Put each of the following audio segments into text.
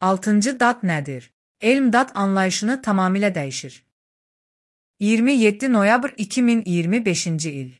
Altıncı dad nədir? Elm dad anlayışını tamamilə dəyişir. 27 noyabr 2025-ci il.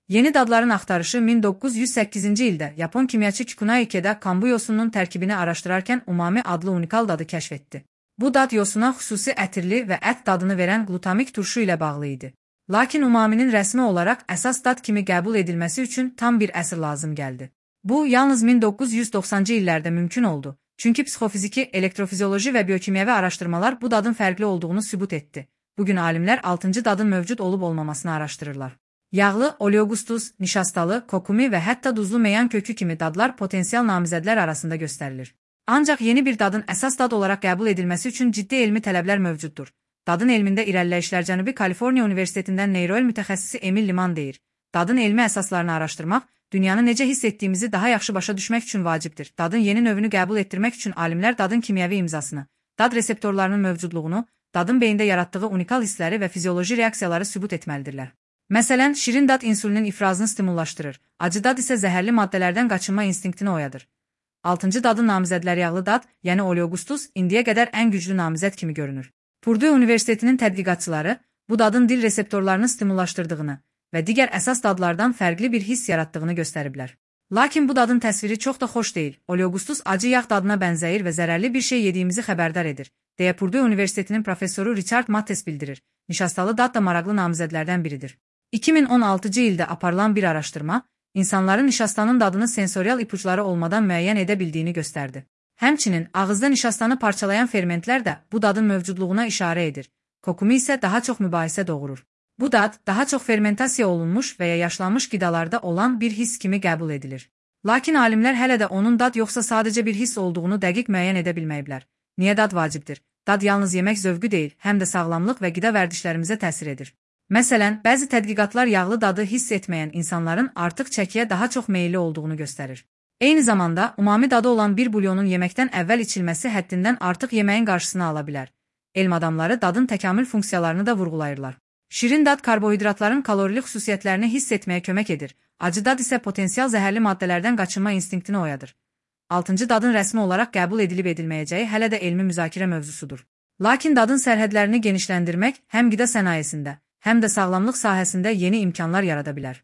Yeni dadların axtarışı 1908-ci ildə Yapon kimyaçı Kikunai Ikeda kambu yosununun tərkibini araşdırarkən umami adlı unikal dadı kəşf etdi. Bu dad yosuna xüsusi ətirli və ət dadını verən glutamik turşu ilə bağlı idi. Lakin umaminin rəsmi olaraq əsas dad kimi qəbul edilməsi üçün tam bir əsr lazım gəldi. Bu, yalnız 1990-cı illərdə mümkün oldu. Çünki psixofiziki, elektrofizioloji və biokimyəvi araşdırmalar bu dadın fərqli olduğunu sübut etdi. Bugün alimlər 6-cı dadın mövcud olub-olmamasını araşdırırlar. Yağlı, oleogustus, nişastalı, kokumi və hətta duzlu meyan kökü kimi dadlar potensial namizədlər arasında göstərilir. Ancaq yeni bir dadın əsas dad olaraq qəbul edilməsi üçün ciddi elmi tələblər mövcuddur. Dadın elmində irəliləyişlər Cənubi Kaliforniya Universitetindən neyroil mütəxəssisi Emil Liman deyir. Dadın elmi əsaslarını araşdırmaq, dünyanı necə hiss etdiyimizi daha yaxşı başa düşmək üçün vacibdir. Dadın yeni növünü qəbul etdirmək üçün alimlər dadın kimyəvi imzasını, dad reseptorlarının mövcudluğunu, dadın beyində yaratdığı unikal hissləri və fizioloji reaksiyaları sübut etməlidirlər. Məsələn, şirin dad insülinin ifrazını stimullaşdırır, acı dad isə zəhərli maddələrdən qaçınma instinktini oyadır. 6-cı dadın namizədləri yağlı dad, yəni oleogustus, indiyə qədər ən güclü namizəd kimi görünür. Purdue Universitetinin tədqiqatçıları bu dadın dil reseptorlarını stimullaşdırdığını və digər əsas dadlardan fərqli bir hiss yaratdığını göstəriblər. Lakin bu dadın təsviri çox da xoş deyil. Oleogustus acı yağ dadına bənzəyir və zərərli bir şey yediyimizi xəbərdar edir, deyə Purdue Universitetinin professoru Richard Mattes bildirir. Nişastalı dad da maraqlı namizədlərdən biridir. 2016-cı ildə aparılan bir araşdırma, insanların nişastanın dadını sensorial ipuçları olmadan müəyyən edə bildiyini göstərdi. Həmçinin, ağızda nişastanı parçalayan fermentlər də bu dadın mövcudluğuna işarə edir. Kokumi isə daha çox mübahisə doğurur. Bu dad, daha çox fermentasiya olunmuş və ya yaşlanmış qidalarda olan bir hiss kimi qəbul edilir. Lakin alimlər hələ də onun dad yoxsa sadəcə bir hiss olduğunu dəqiq müəyyən edə bilməyiblər. Niyə dad vacibdir? Dad yalnız yemək zövqü deyil, həm də sağlamlıq və qida vərdişlərimizə təsir edir. Məsələn, bəzi tədqiqatlar yağlı dadı hiss etməyən insanların artıq çəkiyə daha çox meyilli olduğunu göstərir. Eyni zamanda, umami dadı olan bir bulyonun yeməkdən əvvəl içilməsi həddindən artıq yeməyin qarşısını ala bilər. Elm adamları dadın təkamül funksiyalarını da vurğulayırlar. Şirin dad karbohidratların kalorili xüsusiyyətlərini hiss etməyə kömək edir. Acı dad isə potensial zəhərli maddələrdən qaçınma instinktini oyadır. 6-cı dadın rəsmi olaraq qəbul edilib-edilməyəcəyi hələ də elmi müzakirə mövzusudur. Lakin dadın sərhədlərini genişləndirmək həm qida sənayesində, həm də sağlamlıq sahəsində yeni imkanlar yarada bilər.